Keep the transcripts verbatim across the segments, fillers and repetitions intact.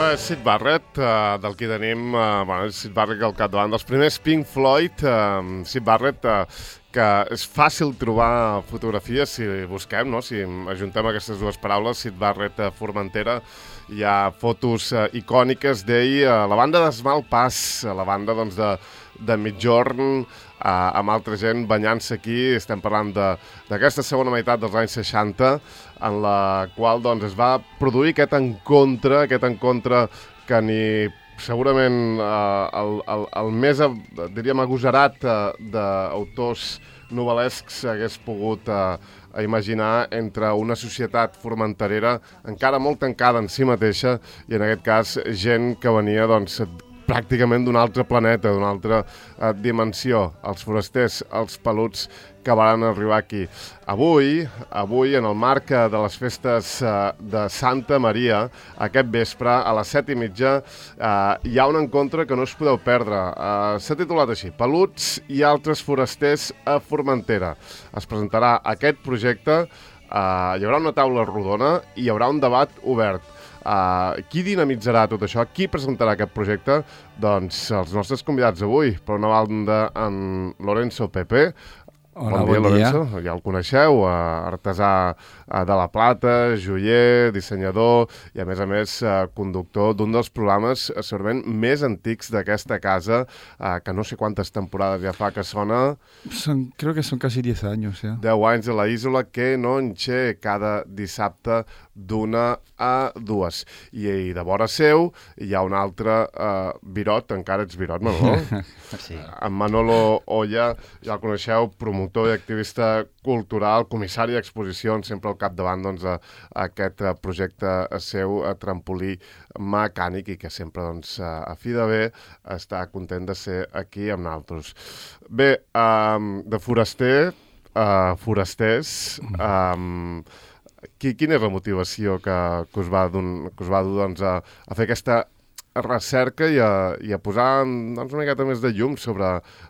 Això és Syd Barrett, uh, del que tenim, uh, bueno, és Syd Barrett al capdavant dels primers Pink Floyd. Uh, Syd Barrett, uh, que és fàcil trobar fotografies si busquem, no? Si ajuntem aquestes dues paraules, Syd Barrett, uh, Formentera, hi ha fotos uh, icòniques d'ell, uh, la banda d'Esmalt Pass, uh, la banda doncs, de, de Migjorn, uh, amb altra gent banyant-se aquí. Estem parlant d'aquesta segona meitat dels anys seixanta, en la qual doncs, es va produir aquest encontre, aquest encontre que ni segurament eh, el, el, el més, diríem, agosarat eh, d'autors novel·lescs hagués pogut eh, imaginar entre una societat formenterera encara molt tancada en si mateixa i en aquest cas gent que venia doncs, pràcticament d'un altre planeta, d'una altra eh, dimensió, els forasters, els peluts que van arribar aquí. Avui, avui en el marc de les festes eh, de Santa Maria, aquest vespre, a les set i mitja, eh, hi ha un encontre que no us podeu perdre. Eh, S'ha titulat així, Peluts i altres forasters a Formentera. Es presentarà aquest projecte, eh, hi haurà una taula rodona i hi haurà un debat obert. Uh, qui dinamitzarà tot això? Qui presentarà aquest projecte? Doncs els nostres convidats avui. Per una banda, en Lorenzo Pepe. Hola, bon dia, bon dia. Lorenzo. Ja el coneixeu, uh, artesà uh, de la plata, joier, dissenyador i, a més a més, uh, conductor d'un dels programes uh, segurament més antics d'aquesta casa, uh, que no sé quantes temporades ja fa que sona. Son, creo que son casi diez años, ya. deu anys a la Isola, que no enxe cada dissabte d'una a dues. I, i de vora seu hi ha un altre uh, Virot, encara ets Virot, Manolo? Sí. En Manolo Olla, ja el coneixeu, promotor i activista cultural, comissari d'exposicions, sempre al capdavant doncs, a, a aquest projecte seu, a trampolí mecànic, i que sempre, doncs, a, a fi de bé, està content de ser aquí amb nosaltres. Bé, um, de foraster, uh, forasters, um, qui, quina és la motivació que, que us va, don, que us va dur doncs, a, a fer aquesta recerca i a, i a posar doncs, una miqueta més de llum sobre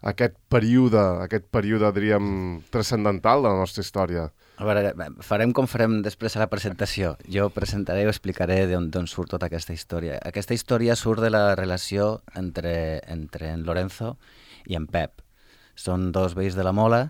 aquest període, aquest període, diríem, transcendental de la nostra història? A veure, farem com farem després a la presentació. Jo presentaré i explicaré d'on surt tota aquesta història. Aquesta història surt de la relació entre, entre en Lorenzo i en Pep. Són dos veïns de la Mola,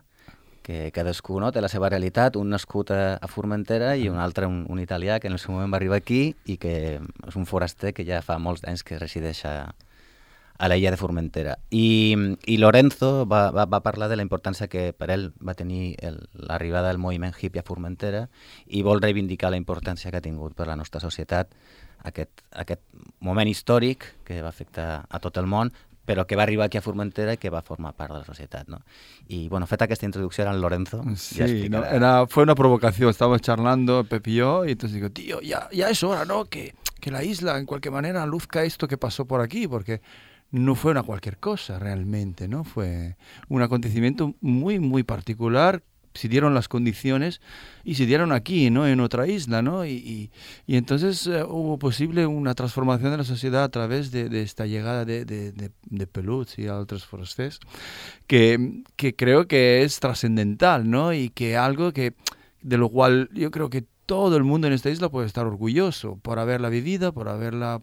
que cadascú, no, té la seva realitat, un nascut a, a Formentera i un altre, un, un italià, que en el seu moment va arribar aquí i que és un foraster que ja fa molts anys que resideix a, a l'illa de Formentera. I, i Lorenzo va, va, va parlar de la importància que per ell va tenir l'arribada del moviment hippie a Formentera i vol reivindicar la importància que ha tingut per la nostra societat aquest, aquest moment històric que va afectar a tot el món, però que va arribar aquí a Formentera y que va a formar parte de la sociedad, ¿no? Y bueno, feta esta introducción al Lorenzo. Sí, no, era, fue una provocación. Estábamos charlando, Pepe y yo, y entonces digo, tío, ya, ya es hora, ¿no? Que, que la isla, en cualquier manera, luzca esto que pasó por aquí, porque no fue una cualquier cosa realmente, ¿no? Fue un acontecimiento muy, muy particular. Se dieron las condiciones y se dieron aquí, ¿no? En otra isla, ¿no? Y, y, y entonces uh, hubo posible una transformación de la sociedad a través de, de esta llegada de, de, de, de Peluts y a otros forasters, que, que creo que es trascendental, ¿no? Y que algo que de lo cual yo creo que todo el mundo en esta isla puede estar orgulloso por haberla vivido, por haberla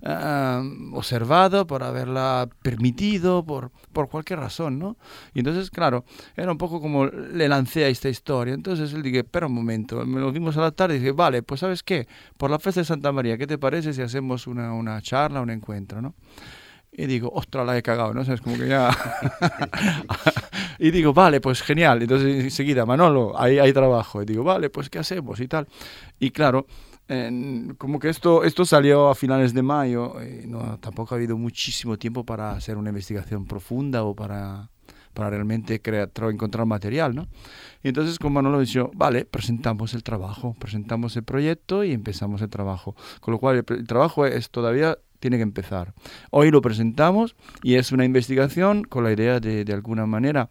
Uh, observado, por haberla permitido, por, por cualquier razón, ¿no? Y entonces, claro, era un poco como le lancé a esta historia. Entonces él dije, espera un momento, me lo vimos a la tarde y dije, vale, pues ¿sabes qué? Por la fiesta de Santa María, ¿qué te parece si hacemos una, una charla, un encuentro, ¿no? Y digo, ostras, la he cagado, ¿no? O sea, es como que ya... y digo, vale, pues genial. Entonces enseguida, Manolo, ahí hay trabajo. Y digo, vale, pues ¿qué hacemos? Y tal. Y claro... Eh, como que esto, esto salió a finales de mayo, eh, no, tampoco ha habido muchísimo tiempo para hacer una investigación profunda o para, para realmente crear, encontrar material, ¿no? Y entonces con Manolo dijo, vale, presentamos el trabajo, presentamos el proyecto y empezamos el trabajo. Con lo cual el, el trabajo es todavía... tiene que empezar. Hoy lo presentamos y es una investigación con la idea de, de alguna manera,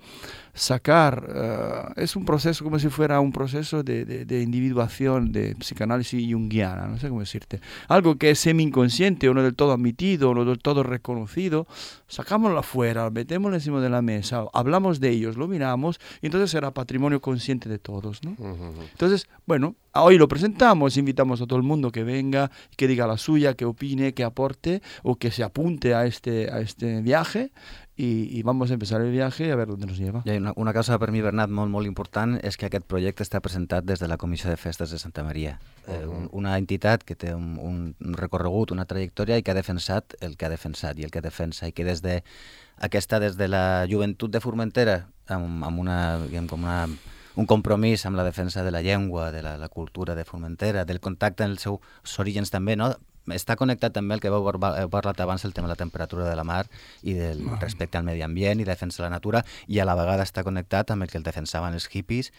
sacar, uh, es un proceso como si fuera un proceso de, de, de individuación, de psicanálisis junguiana, no sé cómo decirte. Algo que es semi-inconsciente, o no del todo admitido, o no del todo reconocido, sacámoslo afuera, lo metemos encima de la mesa, hablamos de ellos, lo miramos, y entonces será patrimonio consciente de todos, ¿no? Uh-huh. Entonces, bueno, hoy lo presentamos, invitamos a todo el mundo que venga, que diga la suya, que opine, que aporte, o que se apunte a este, a este viaje, i, i vamos a empezar el viaje a veure on nos lleva. I una, una cosa per mi, Bernat, molt, molt important és que aquest projecte està presentat des de la Comissió de Festes de Santa Maria, eh, un, una entitat que té un, un recorregut, una trajectòria i que ha defensat el que ha defensat i el que defensa, i que des de aquesta, des de la joventut de Formentera, amb, amb una, diguem, com una un compromís amb la defensa de la llengua, de la, la cultura de Formentera, del contacte amb els seus orígens també, no? Està connectat també el que heu parlat abans, el tema de la temperatura de la mar i del respecte al medi ambient i la defensa de la natura, i a la vegada està connectat amb el que el defensaven els hippies.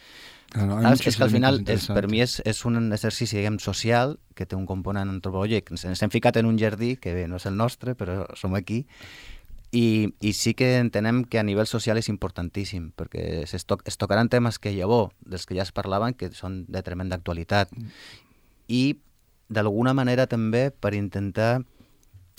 Claro, és que al final, és, per mi, és, és un exercici, diguem, social, que té un component antropològic. Ens hem ficat en un jardí, que bé, no és el nostre, però som aquí, I, i sí que entenem que a nivell social és importantíssim, perquè es, to es tocaran temes que llavors, dels que ja es parlaven, que són de tremenda actualitat. I d'alguna manera també per intentar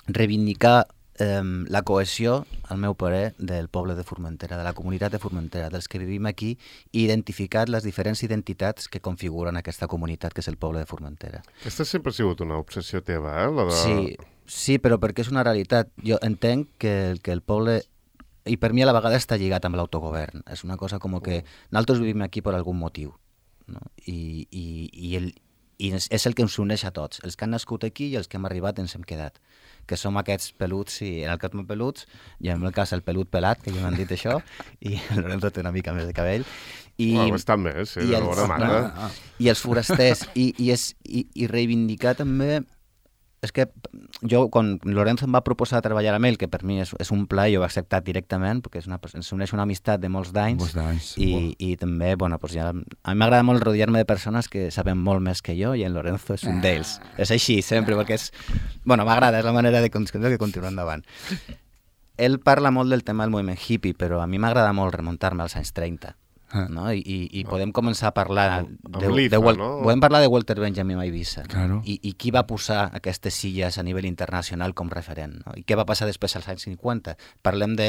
reivindicar eh, la cohesió, al meu parer, del poble de Formentera, de la comunitat de Formentera, dels que vivim aquí, i identificar les diferents identitats que configuren aquesta comunitat, que és el poble de Formentera. Aquesta sempre ha sigut una obsessió teva, eh? La de... Sí, sí, però perquè és una realitat. Jo entenc que, que el poble, i per mi a la vegada està lligat amb l'autogovern, és una cosa com que nosaltres vivim aquí per algun motiu, no? I, i, i el I és el que ens uneix a tots, els que han nascut aquí i els que hem arribat ens hem quedat, que som aquests peluts, i en el cas de peluts, i en el cas el pelut pelat, que ja m'han dit això, i el Lorenzo té una mica més de cabell. I, bueno, bastant més, sí, i de els, bona mata. I els forasters, i, i, és, i, i reivindicar també... És que jo, quan Lorenzo em va proposar treballar amb ell, que per mi és, és un pla, jo ho he acceptat directament, perquè és una, ens uneix una amistat de molts d'anys, i, wow. i també, bueno, pues ja, a mi m'agrada molt rodejar-me de persones que saben molt més que jo, i en Lorenzo és un ah. d'ells. És així, sempre, perquè és... Bueno, m'agrada, és la manera de, de continuar endavant. Ell parla molt del tema del moviment hippie, però a mi m'agrada molt remuntar-me als anys trenta. No? I, i, i podem començar a parlar de, de, de, de, no? podem parlar de Walter Benjamin a Eivissa, claro. I, i qui va posar aquestes illes a nivell internacional com referent, no? I què va passar després als anys cinquanta. Parlem de,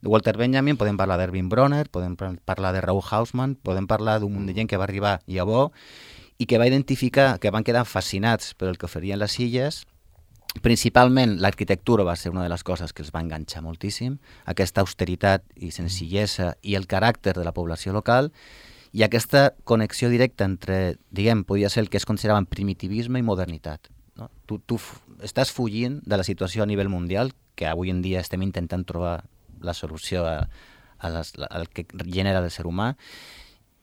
de Walter Benjamin, podem parlar d'Erwin Bronner, podem parlar de Raoul Hausmann, podem parlar d'un munt de gent que va arribar llavors i que va identificar, que van quedar fascinats per el que oferien les illes. Principalment l'arquitectura va ser una de les coses que els va enganxar moltíssim, aquesta austeritat i senzillesa i el caràcter de la població local, i aquesta connexió directa entre, diguem, podia ser el que es consideraven primitivisme i modernitat. No? Tu, tu estàs fugint de la situació a nivell mundial, que avui en dia estem intentant trobar la solució a, a les, al que genera el ser humà,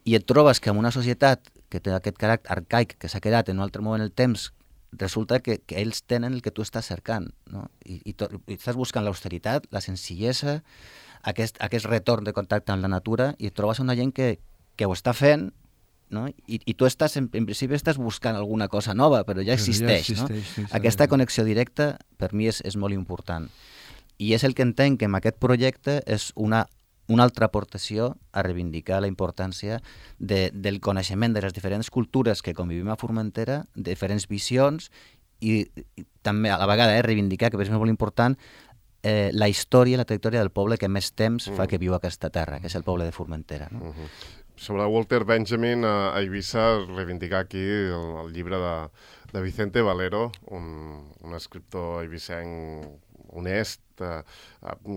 i et trobes que en una societat que té aquest caràcter arcaic que s'ha quedat en un altre moment en el temps, resulta que, que ells tenen el que tu estàs cercant, no? I, i, to, i estàs buscant l'austeritat, la senzillesa, aquest, aquest retorn de contacte amb la natura, i et trobes una gent que, que ho està fent, no? I, i tu estàs, en, en principi estàs buscant alguna cosa nova, però ja existeix, però ja existeix, no? Sí, aquesta connexió directa per mi és, és molt important. I és el que entenc que en aquest projecte és una una altra aportació a reivindicar la importància de, del coneixement de les diferents cultures que convivim a Formentera, diferents visions, i, i també a la vegada eh, reivindicar, que és molt important, eh, la història i la trajectòria del poble que més temps fa que viu a aquesta terra, que és el poble de Formentera. No? Uh-huh. Sobre Walter Benjamin, a Eivissa, reivindicar aquí el, el llibre de, de Vicente Valero, un, un escriptor eivissenc honest, eh,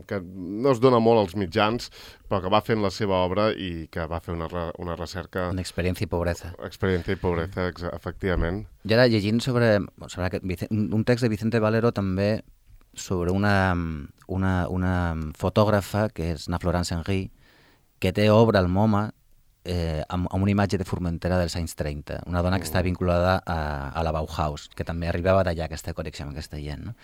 que no es dona molt als mitjans, però que va fent la seva obra i que va fer una, re, una recerca... Una experiència i pobresa. Experiència i pobresa, efectivament. Jo ara llegint sobre, sobre aquest, un text de Vicente Valero també sobre una, una, una fotògrafa que és na Florence Henry, que té obra al MoMA eh, amb, amb una imatge de Formentera dels anys trenta, una dona que està vinculada a, a la Bauhaus, que també arribava d'allà aquesta connexió amb aquesta gent, no?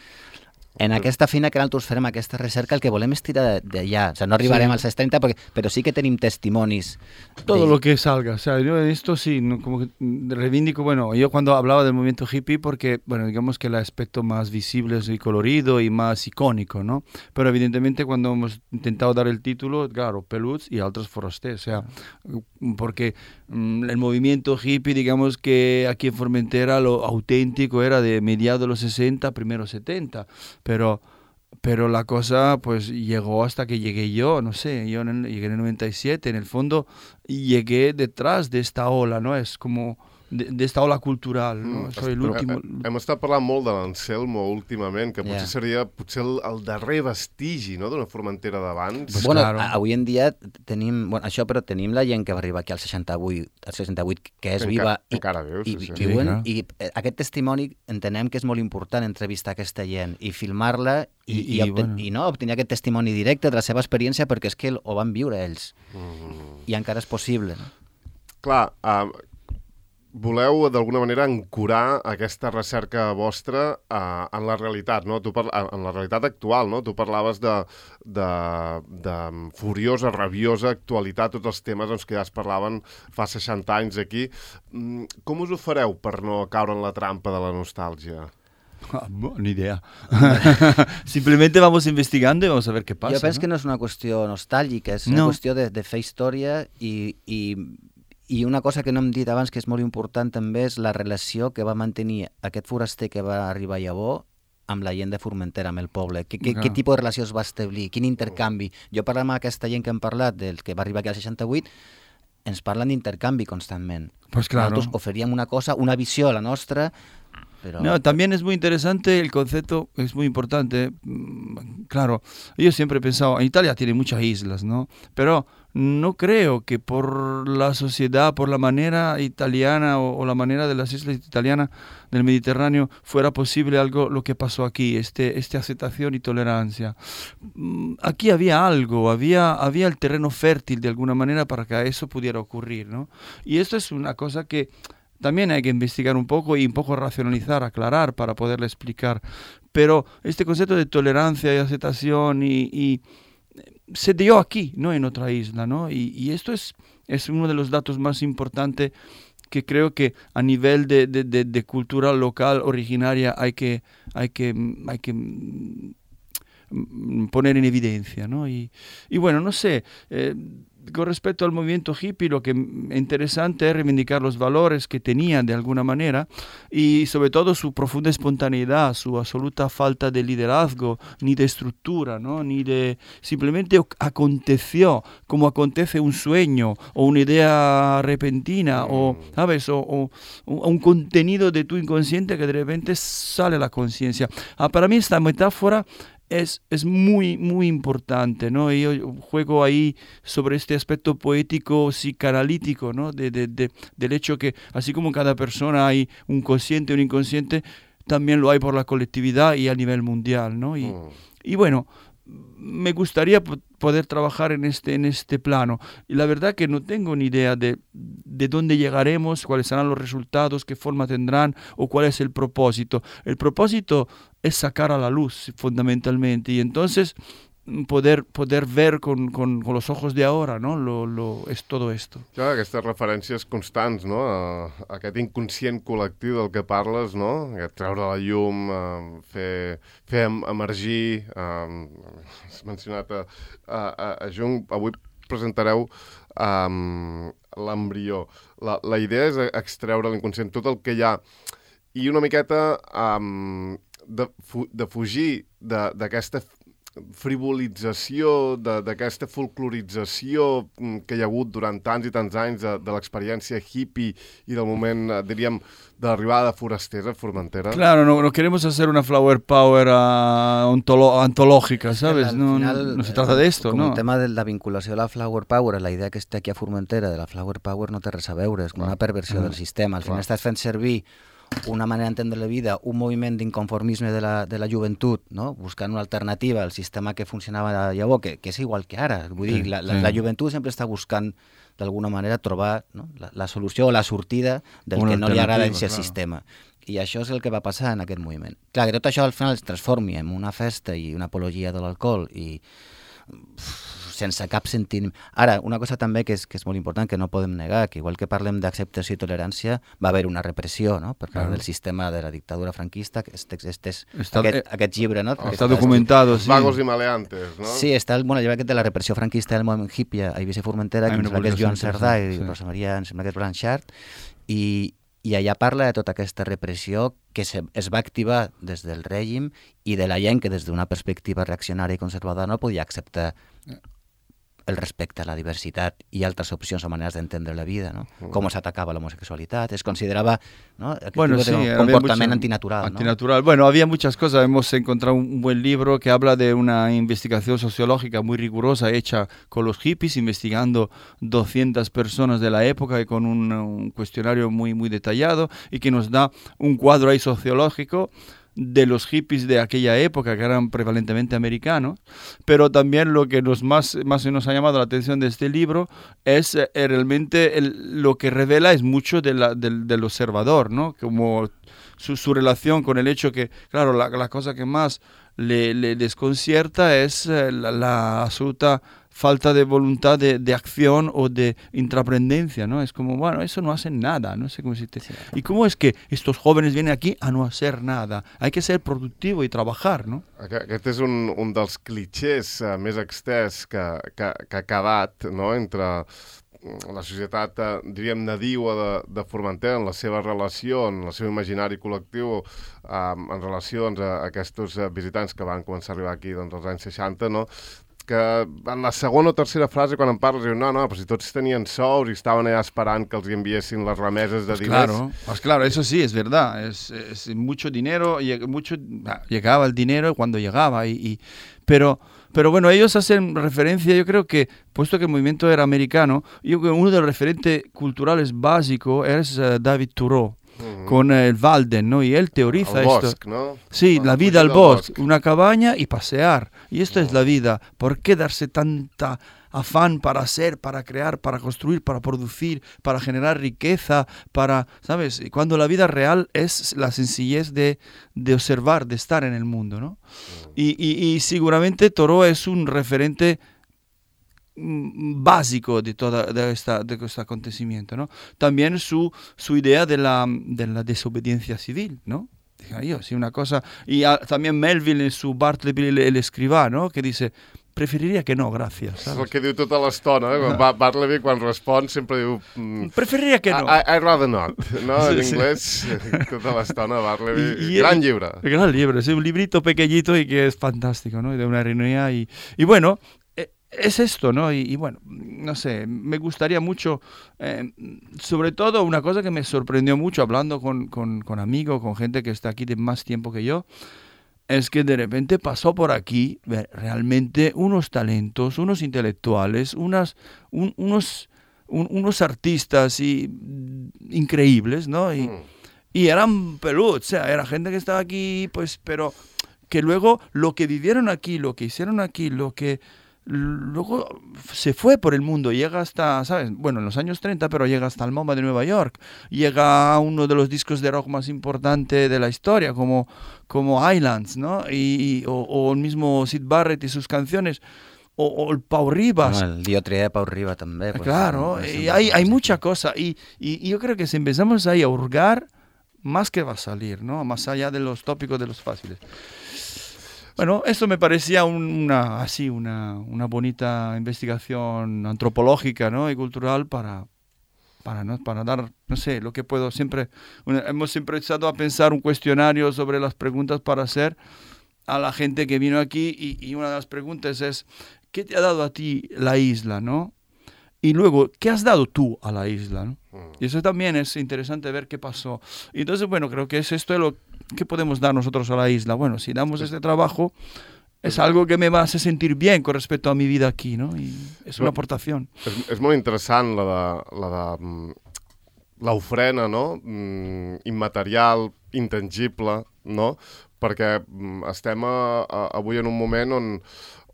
En aquesta feina que nosaltres farem, aquesta recerca, el que volem és tirar d'allà. O sea, no arribarem sí. als anys trenta, perquè, però sí que tenim testimonis. Todo de... lo que salga. O sea, yo en esto sí, no, como que reivindico, bueno, yo cuando hablaba del movimiento hippie, porque, bueno, digamos que el aspecto más visible y colorido y más icónico, ¿no? Pero evidentemente cuando hemos intentado dar el título, claro, Peluts y otros forasters, o sea, porque mm, el movimiento hippie, digamos que aquí en Formentera lo auténtico era de mediados de los sesenta, primeros setenta. Pero, pero la cosa pues llegó hasta que llegué yo, no sé, yo en el, llegué en el noventa y siete, en el fondo llegué detrás de esta ola, ¿no? Es como de, de esta ola cultural, ¿no? Mm, Soy l'últim... Hem estat parlant molt de l'Anselmo últimament, que potser yeah. seria potser el, el darrer vestigi, no?, d'una Formentera d'abans. Pues bueno, claro. avui en dia tenim, bueno, això, però tenim la gent que va arribar aquí al seixanta-vuit, al seixanta-vuit que és Enca, viva i, encara viu, sí, i, sí. i, viuen, sí, i eh, aquest testimoni entenem que és molt important entrevistar aquesta gent i filmar-la i, I, i, i, obten, bueno. i no, obtenir aquest testimoni directe de la seva experiència perquè és que ho van viure ells Mm. i encara és possible, no? Clar, uh, voleu d'alguna manera ancorar aquesta recerca vostra uh, en la realitat, no? Tu parla, en la realitat actual, no? Tu parlaves de, de, de furiosa, rabiosa actualitat, tots els temes doncs, que ja es parlaven fa seixanta anys aquí. Mm, com us ho fareu per no caure en la trampa de la nostàlgia? Ah, no, ni idea. Simplemente vamos investigando y vamos a ver qué pasa. Jo penso ¿no? que no és una qüestió nostàlgica, és una No. qüestió de, de fer història i, i, i una cosa que no hem dit abans que és molt important també és la relació que va mantenir aquest foraster que va arribar a Llavor amb la gent de Formentera, amb el poble. Que, que, Clar. Què tipus de relació es va establir? Quin intercanvi? Jo parlant amb aquesta gent que hem parlat, del que va arribar aquí al seixanta-vuit, ens parlen d'intercanvi constantment. Pues claro. Nosaltres oferíem una cosa, una visió a la nostra, pero... No, también es muy interesante el concepto, es muy importante. Mm, Claro, yo siempre he pensado, en Italia tiene muchas islas, ¿no? Pero no creo que por la sociedad, por la manera italiana o, o la manera de las islas italianas del Mediterráneo fuera posible algo lo que pasó aquí, este, este aceptación y tolerancia. Mm, Aquí había algo, había, había el terreno fértil de alguna manera para que eso pudiera ocurrir, ¿no? Y esto es una cosa que también hay que investigar un poco y un poco racionalizar, aclarar para poderle explicar. Pero este concepto de tolerancia y aceptación y, y se dio aquí, no en otra isla, ¿no? Y, y esto es, es uno de los datos más importantes que creo que a nivel de, de, de, de cultura local originaria hay que, hay que, hay que poner en evidencia, ¿no? Y, y bueno, no sé, eh, con respecto al movimiento hippie, lo que es interesante es reivindicar los valores que tenían de alguna manera y sobre todo su profunda espontaneidad, su absoluta falta de liderazgo, ni de estructura, ¿no? Ni de... Simplemente aconteció, como acontece un sueño o una idea repentina mm. o, ¿sabes? O, o, o un contenido de tu inconsciente que de repente sale a la conciencia. Ah, para mí esta metáfora Es, es muy, muy importante, ¿no? Y yo juego ahí sobre este aspecto poético, psicanalítico, ¿no? De, de, de, del hecho que, así como en cada persona hay un consciente, un inconsciente, también lo hay por la colectividad y a nivel mundial, ¿no? Y, mm. y bueno, me gustaría poder trabajar en este, en este plano. Y la verdad que no tengo ni idea de, de dónde llegaremos, cuáles serán los resultados, qué forma tendrán o cuál es el propósito. El propósito es sacar a la luz fundamentalmente y entonces poder, poder ver con, con, con los ojos de ahora, ¿no? Lo, lo, és todo esto. Clar, aquestes referències constants, no? A, a aquest inconscient col·lectiu del que parles, no? Aquest treure la llum, eh, fer, fer emergir... Eh, has mencionat a, a, a, a Jung, avui presentareu um, l'embrió. La, la idea és extreure l'inconscient, tot el que hi ha, i una miqueta um, de, fu, de fugir d'aquesta frivolització, d'aquesta folclorització que hi ha hagut durant tants i tants anys de, de l'experiència hippie i del moment, diríem, de l'arribada de forasters a Formentera. Claro, no, no queremos hacer una flower power uh, ontolo antológica, ¿sabes? Al no, final, no, no se trata de esto, com ¿no? El tema de la vinculació a la flower power, la idea que està aquí a Formentera de la flower power no té res a veure, és com una perversió ah, del sistema. Al final clar. estàs fent servir una manera d'entendre la vida, un moviment d'inconformisme de la, de la joventut, no? Buscant una alternativa al sistema que funcionava llavors, que, que és igual que ara. Vull sí, dir, la, la, sí. la joventut sempre està buscant d'alguna manera trobar, no? la, la solució o la sortida del una que no li agrada en aquest claro. sistema. I això és el que va passar en aquest moviment. Clar, que tot això al final es transformi en una festa i una apologia de l'alcohol i uf, sense cap sentiment. Ara, una cosa també que és, que és molt important, que no podem negar, que igual que parlem d'acceptació i tolerància, va haver una repressió, no?, per part Claro. del sistema de la dictadura franquista, que este, este és Està- aquest, eh, aquest llibre, no? que Está documentado, sí. Vagos i maleantes, no? Sí, està el, bueno, el llibre aquest de la repressió franquista del moviment hippie a Eivissa i Formentera, Hay que em una sembla que és publicació Joan Cerdà i interessant, sí. Rosa Maria, em sembla que és Blanchard, i, i allà parla de tota aquesta repressió que se, es va activar des del règim i de la gent que des d'una perspectiva reaccionària i conservadora no podia acceptar el respecte a la diversitat i altres opcions o maneres d'entendre la vida, ¿no? Com s'atacava l'homosexualitat, es considerava, ¿no?, aquest Bueno, tipus sí, de había comportament mucho- antinatural, ¿no? Antinatural. Bueno, había muchas cosas. Hemos encontrado un buen libro que habla de una investigación sociológica muy rigurosa hecha con los hippies, investigando doscientas personas de la época y con un, un cuestionario muy, muy detallado y que nos da un cuadro ahí sociológico de los hippies de aquella época, que eran prevalentemente americanos, pero también lo que nos más, más nos ha llamado la atención de este libro es eh, realmente el- lo que revela es mucho de la- del, del observador, ¿no? Como su, su relación con el hecho que, claro, la, la cosa que más le, le desconcierta es eh, la, la absoluta falta de voluntad de, de acción o de intraprendencia, ¿no? Es como, bueno, eso no hacen nada, no sé cómo decirte. ¿Y cómo es que estos jóvenes vienen aquí a no hacer nada? Hay que ser productivo y trabajar, ¿no? Aqu- Aquest és un, un dels clichés uh, més extès que, que, que ha quedat, no?, entre la societat, eh, diríem, nadiua de, de Formentera en la seva relació, en el seu imaginari col·lectiu, eh, en relació doncs, a aquests eh, visitants que van començar a arribar aquí doncs, als anys seixanta, no?, que en la segona o tercera frase, quan en parles, diu, no, no, però si tots tenien sous i estaven allà esperant que els enviessin les remeses de Pues diners. claro, pues claro, eso sí, es verdad. Es, es mucho dinero, lleg- mucho, ah, llegaba el dinero cuando llegaba. Y, y- pero, pero bueno, ellos hacen referencia, yo creo que, puesto que el movimiento era americano, yo creo que uno de los referentes culturales básicos es eh, David Thoreau, Mhm. con el Walden, ¿no? Y él teoriza El esto. bosc, no? Sí, Ah, la fugir vida al del bosque, una cabaña y pasear. Y esto es la vida. ¿Por qué darse tanta afán para hacer, para crear, para construir, para producir, para generar riqueza, para, ¿sabes? Y cuando la vida real es la sencillez de, de observar, de estar en el mundo, ¿no? Y, y, y seguramente Thoreau es un referente mm, básico de toda de esta de este acontecimiento, ¿no? También su su idea de la de la desobediencia civil, ¿no? Dije yo, sí, una cosa. Y ah, también Melville en su Bartleby el, el escribà, ¿no? Que dice, preferiría que no, gracias. És el ¿sabes? que diu tota l'estona, eh? Quan va- Bartleby, quan respon, sempre diu... mm, Preferiría que no. I, I, I'd rather not, no? En Sí, sí. inglés, tota l'estona, Bartleby. Y- y- Gran llibre. El gran libro, es un librito pequeñito y que es fantástico, ¿no? Y de una ironía y, y bueno, eh, es esto, ¿no? Y, y bueno, no sé, me gustaría mucho, eh, sobre todo una cosa que me sorprendió mucho hablando con, con, con amigos, con gente que está aquí de más tiempo que yo, es que de repente pasó por aquí ve, realmente unos talentos, unos intelectuales, unas, un- unos, un- unos artistas y, mm, increíbles, ¿no? Y, Mm. y eran peludos, o sea, era gente que estaba aquí, pues, pero que luego lo que vivieron aquí, lo que hicieron aquí, lo que luego se fue por el mundo, llega hasta, ¿sabes? Bueno, en los años treinta, pero llega hasta el MoMA de Nueva York, llega a uno de los discos de rock más importantes de la historia, como, como Islands, ¿no? Y, y- o, o el mismo Syd Barrett y sus canciones, o, o el Pau Ribas. Bueno, el Diotria de Pau Riba també. pues, Claro, es y un- hay, hay mucha cosa. Y, y- y yo creo que si empezamos ahí a hurgar, más que va a salir, ¿no? Más allá de los tópicos de los fáciles. Bueno, eso me parecía un- una, así, una, una bonita investigación antropológica, ¿no? Y cultural para, para, ¿no? para dar, no sé, lo que puedo siempre... una- hemos siempre estado a pensar un cuestionario sobre las preguntas para hacer a la gente que vino aquí y, y una de las preguntas es, ¿qué te ha dado a ti la isla, no? Y luego, ¿qué has dado tú a la isla, no? Y eso también es interesante ver qué pasó. Y entonces, bueno, creo que es esto lo que podemos dar nosotros a la isla. Bueno, si damos este trabajo, es algo que me va a hacer sentir bien con respecto a mi vida aquí, ¿no? Y es una aportación. És, és molt interessant la de, la de mm, l'ofrena, no? Mm, immaterial, intangible, no? Perquè mm, estem a, a, avui en un moment on,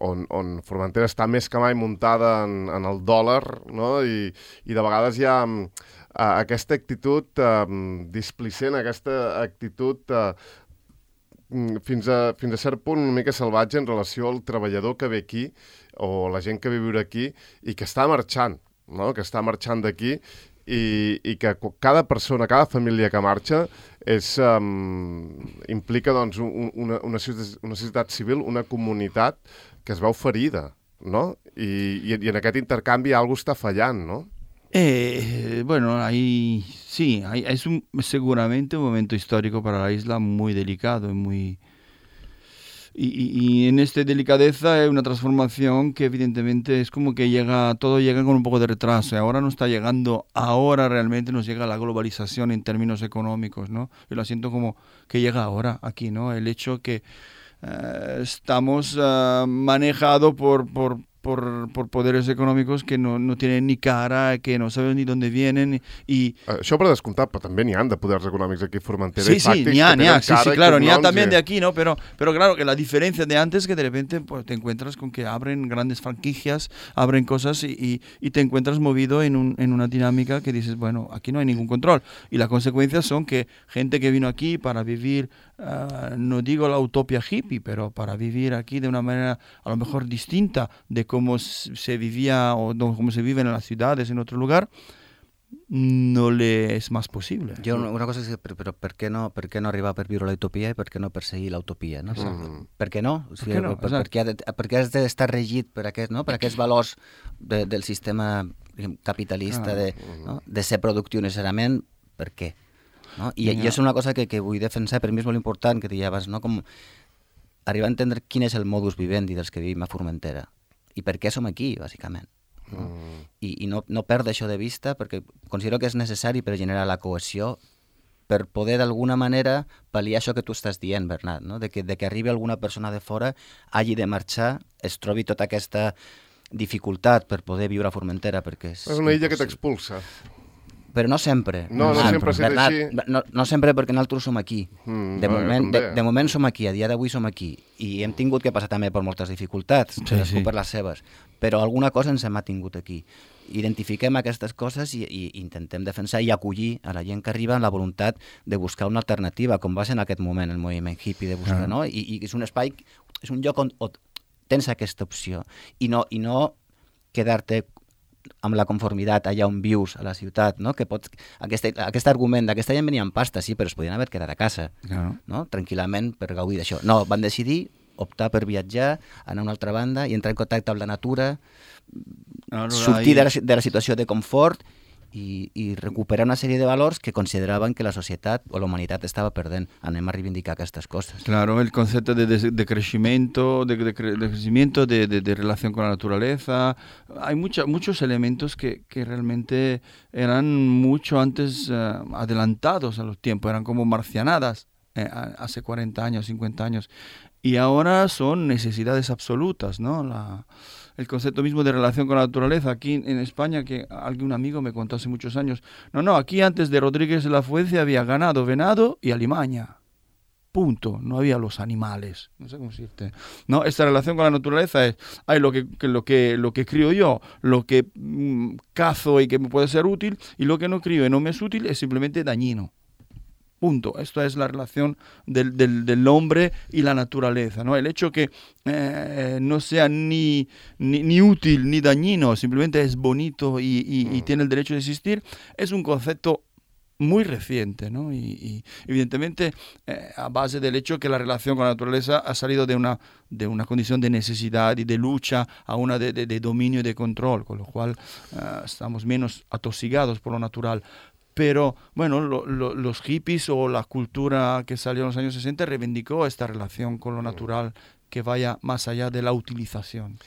on, on Formentera està més que mai muntada en, en el dòlar, no? I, i de vegades hi ha, mm, uh, aquesta actitud uh, displicent, aquesta actitud uh, fins a, fins a cert punt una mica salvatge en relació al treballador que ve aquí o la gent que ve a viure aquí i que està marxant, no? Que està marxant d'aquí i, i que cada persona, cada família que marxa és, um, implica doncs, un, una, una, una societat civil, una comunitat que es veu ferida, no? I, i, i en aquest intercanvi algo està fallant, no? Eh, bueno, ahí sí, ahí, es un, seguramente un momento histórico para la isla muy delicado y muy... Y, y, y en esta delicadeza hay una transformación que evidentemente es como que llega, todo llega con un poco de retraso. Y ahora no está llegando, ahora realmente nos llega la globalización en términos económicos, ¿no? Yo lo siento como que llega ahora aquí, ¿no? El hecho que eh, estamos uh, manejados por... por Por, por poderes econòmics que no, no tienen ni cara, que no saben ni dónde vienen. Y... Això per descomptar, però també n'hi han de poders econòmics aquí a Formentera. Sí, sí, n'hi ha, n'hi ha, sí, sí, claro, n'hi ha también y... de aquí, ¿no? Pero, pero claro, que la diferencia de antes es que de repente pues, te encuentras con que abren grandes franquicias, abren cosas y, y, y te encuentras movido en, un, en una dinámica que dices, bueno, aquí no hay ningún control. Y las consecuencias son que gente que vino aquí para vivir, uh, no digo la utopía hippie, pero para vivir aquí de una manera a lo mejor distinta de cómo se vivía o no, cómo se vive en las ciudades, en otro lugar, no le és més possible. Jo una cosa és, però, però per, què no, per què no arribar per viure la utopia i per què no perseguir la utopia? No? Mm. Per què no? O sigui, per què no? Per, per, què ha de, per què has d'estar regit per, aquest, no? per aquests valors de, del sistema capitalista, ah. de, no? de ser productiu necessàriament? Per què? No? I, I és una cosa que, que vull defensar, per mi és molt important, que diaves, no? Com arribar a entendre quin és el modus vivendi dels que vivim a Formentera i per què som aquí, bàsicament. No? Mm. I, i no, no perdre això de vista perquè considero que és necessari per generar la cohesió, per poder d'alguna manera pal·liar això que tu estàs dient, Bernat, no? de, que, de que arribi alguna persona de fora, hagi de marxar, es trobi tota aquesta dificultat per poder viure a Formentera. Perquè és, és una illa que t'expulsa. Però no sempre. No, no, no sempre ha Bernat, així. No, no sempre perquè nosaltres som aquí. Mm, de, no, moment, de, de moment som aquí, a dia d'avui som aquí. I hem tingut que passar també per moltes dificultats, sí, sí. per les seves. Però alguna cosa ens hem tingut aquí. Identifiquem aquestes coses i, i intentem defensar i acollir a la gent que arriba amb la voluntat de buscar una alternativa, com va ser en aquest moment el moviment hippie de buscar, ah. no? I, I és un espai, és un lloc on, on tens aquesta opció. I no, i no quedar-te amb la conformitat allà on vius, a la ciutat, no? Que pots, aquest, aquest argument d'aquesta gent venia amb pasta, sí, però es podien haver quedat a casa, claro. no? Tranquil·lament per gaudir d'això. No, van decidir optar per viatjar, anar a una altra banda i entrar en contacte amb la natura, no, no, sortir de la, de la situació de confort i, i recuperar una sèrie de valors que consideraven que la societat o la humanitat estava perdent. Anem a reivindicar aquestes coses. Claro, el concepto de, de, de crecimiento, de, de, de crecimiento, de, de, de relación con la naturaleza. Hay mucha, muchos elementos que, que realmente eran mucho antes uh, adelantados a los tiempos, eran como marcianadas eh, hace cuarenta años, cincuenta años. Y ahora son necesidades absolutas, ¿no? La... El concepto mismo de relación con la naturaleza. Aquí en España, que algún amigo me contó hace muchos años, no, no, aquí antes de Rodríguez de la Fuente había ganado, venado y alimaña. Punto. No había los animales. No sé cómo decirte. No, esta relación con la naturaleza es, hay lo que, que, lo que, lo que crío yo, lo que mmm, cazo y que me puede ser útil, y lo que no crío y no me es útil es simplemente dañino. Punto. Esto es la relación del, del, del hombre y la naturaleza, ¿no? El hecho que eh, no sea ni, ni, ni útil ni dañino, simplemente es bonito y, y, y tiene el derecho de existir, es un concepto muy reciente, ¿no? Y, y evidentemente eh, a base del hecho que la relación con la naturaleza ha salido de una, de una condición de necesidad y de lucha a una de, de, de dominio y de control, con lo cual eh, estamos menos atosigados por lo natural. Pero, bueno, lo, lo, los hippies o la cultura que salió en los años sesenta reivindicó esta relación con lo natural que vaya más allá de la utilización.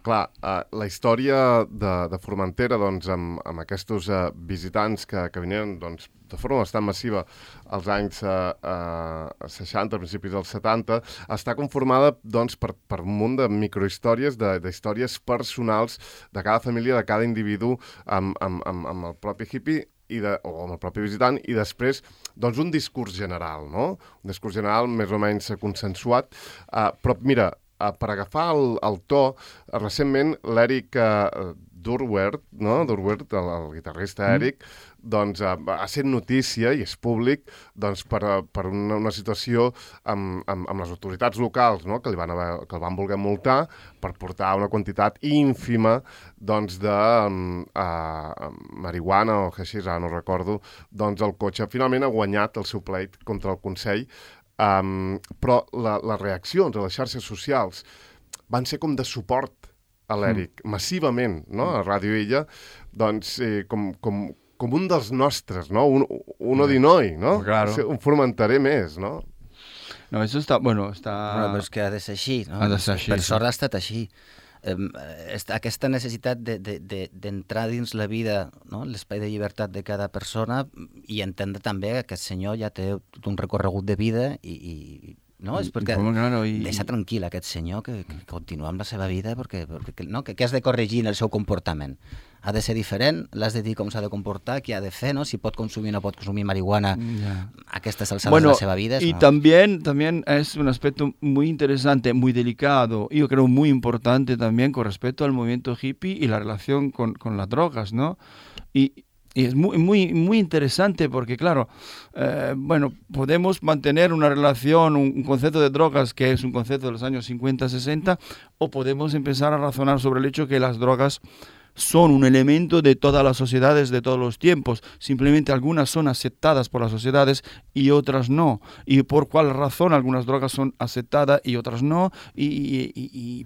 Clar, uh, la història de, de Formentera, doncs, amb, amb aquests uh, visitants que, que venien doncs, de forma bastant massiva als anys uh, uh, seixanta, principis dels setanta, està conformada doncs, per, per un munt de microhistòries, de, de històries personals de cada família, de cada individu amb, amb, amb, amb el propi hippie, i de, o amb el propi visitant, i després doncs, un discurs general, no? Un discurs general més o menys consensuat. Uh, però mira, uh, per agafar el, el to, uh, recentment l'Eric uh, Durwert, no? Durwert, el, el guitarrista Eric, mm. doncs uh, ha set notícia i és públic doncs, per, per una, una situació amb, amb, amb les autoritats locals, no? que, li van haver, que el van voler multar per portar una quantitat ínfima doncs, de um, uh, marihuana o haixís, ara no recordo, doncs el cotxe finalment ha guanyat el seu pleit contra el Consell, um, però la, les reaccions a les xarxes socials van ser com de suport a l'Eric, mm. massivament, no? A Ràdio Illa, doncs, eh, com, com, com un dels nostres, no? Un, uno mm. di noi, no? Claro. Un formentaré més, no? No, això està, bueno, està... Bueno, però és que ha de ser així, no? Ha de ser així. Per sort ha estat així. Um, aquesta necessitat d'entrar de, de, de, dins la vida, no? L'espai de llibertat de cada persona i entendre també que aquest senyor ja té tot un recorregut de vida i... i no, és perquè claro, i... deixa tranquil aquest senyor que, que continua amb la seva vida perquè, perquè no, que, que has de corregir en el seu comportament. Ha de ser diferent, l'has de dir com s'ha de comportar, què ha de fer, no? Si pot consumir o no pot consumir marihuana yeah. a aquestes alçades bueno, de la seva vida. Y no... también, también es un aspecto muy interesante, muy delicado, y yo creo muy importante también con respecto al movimiento hippie y la relación con, con las drogas, ¿no? Y Y es muy, muy, muy interesante porque, claro, eh, bueno, podemos mantener una relación, un, un concepto de drogas que es un concepto de los años cincuenta, sesenta, o podemos empezar a razonar sobre el hecho que las drogas son un elemento de todas las sociedades de todos los tiempos. Simplemente algunas son aceptadas por las sociedades y otras no. ¿Y por cuál razón algunas drogas son aceptadas y otras no? ¿Y, y, y, y,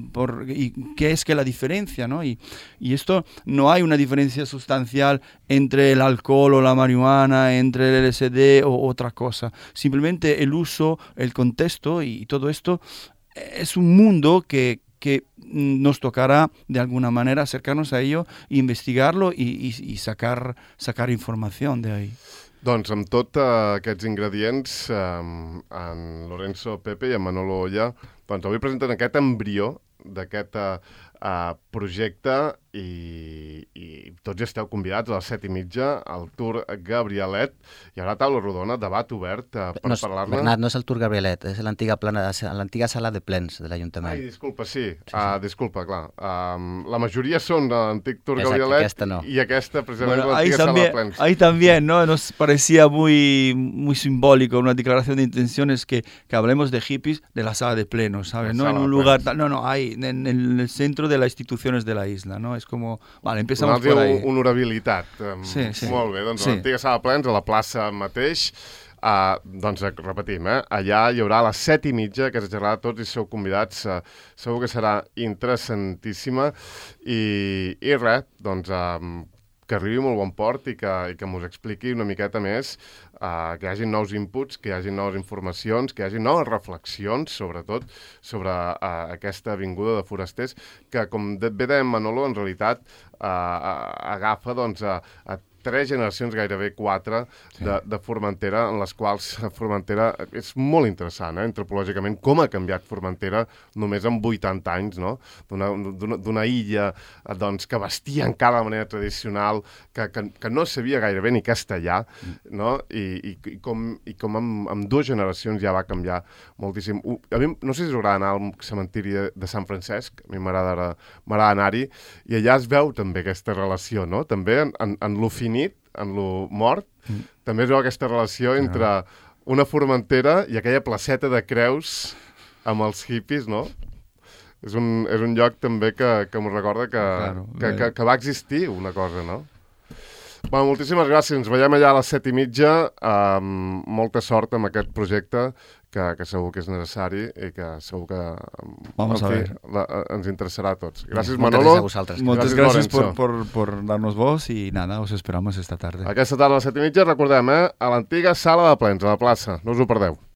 por, y qué es que la diferencia, ¿no? Y, y esto no hay una diferencia sustancial entre el alcohol o la marihuana, entre el L S D o otra cosa. Simplemente el uso, el contexto y todo esto es un mundo que que nos tocará de alguna manera acercarnos a ello, investigarlo y, y, y sacar, sacar información de ahí. Doncs amb tots uh, aquests ingredients, um, en Lorenzo Pepe i en Manolo Olla, doncs avui presenten aquest embrió d'aquest uh, uh, projecte i, i tots esteu convidats a les set i mitja al Tour Gabrielet. Hi haurà taula rodona, debat obert uh, per no, parlar-ne. Bernat, no és el Tour Gabrielet, és l'antiga plana, l'antiga sala de plens de l'Ajuntament. Ai, disculpa, sí. sí, sí. Uh, disculpa, clar. Um, la majoria són de l'antic Tour Exacte, Gabrielet aquesta no. i aquesta, precisament, bueno, l'antiga sala también, de plens. Ahí también, ¿no? Nos parecía muy, muy simbólico, una declaración de intenciones que, que hablemos de hippies de la sala de plenos, ¿sabes? No en un lugar, tal, no, no, ahí, en, en el centro de las instituciones de la isla, ¿no? Es como, vale, empezamos por ahí. Honorabilitat. Um, sí, sí. Molt bé, doncs sí. l'antiga sala de plens a la plaça mateix. Uh, doncs repetim, eh? Allà hi haurà a les set i mitja, que s'agerrà tots i sou convidats. Uh, segur que serà interessantíssima. I, i res, doncs uh, que arribi molt bon port i que, i que mos expliqui una miqueta més, uh, que hi hagi nous inputs, que hi hagi noves informacions, que hi hagi noves reflexions, sobretot, sobre uh, aquesta avinguda de forasters, que, com bé deia Manolo, en realitat uh, agafa doncs, a, a tres generacions, gairebé quatre, sí. de, de Formentera, en les quals Formentera és molt interessant, eh, antropològicament, com ha canviat Formentera només en vuitanta anys, no? D'una illa doncs, que vestia encara de manera tradicional, que, que, que no sabia gairebé ni castellà, no? I, i, i com, i com en, en dues generacions ja va canviar moltíssim. A mi no sé si us agrada anar al cementiri de, de Sant Francesc, a mi m'agrada anar-hi, i allà es veu també aquesta relació, no? També en, en, en lo finit, en lo mort, mm. també es veu aquesta relació entre ah. una Formentera i aquella placeta de Creus amb els hippies, no? És un, és un lloc també que, que m'ho recorda que, claro, que, que, que va existir una cosa, no? Bueno, moltíssimes gràcies. Ens veiem allà a les set i mitja. Um, molta sort amb aquest projecte que, que segur que és necessari i que segur que Vamos en a fi, ver. La, ens interessarà a tots. Gràcies, Moltes Manolo. gràcies a vosaltres. Muchas Gràcies, gracias por, Lorenzo. por, por darnos voz y nada, os esperamos esta tarde. Aquesta tarda a les set i mitja, recordem, eh, a l'antiga sala de plens, a la plaça. No us ho perdeu.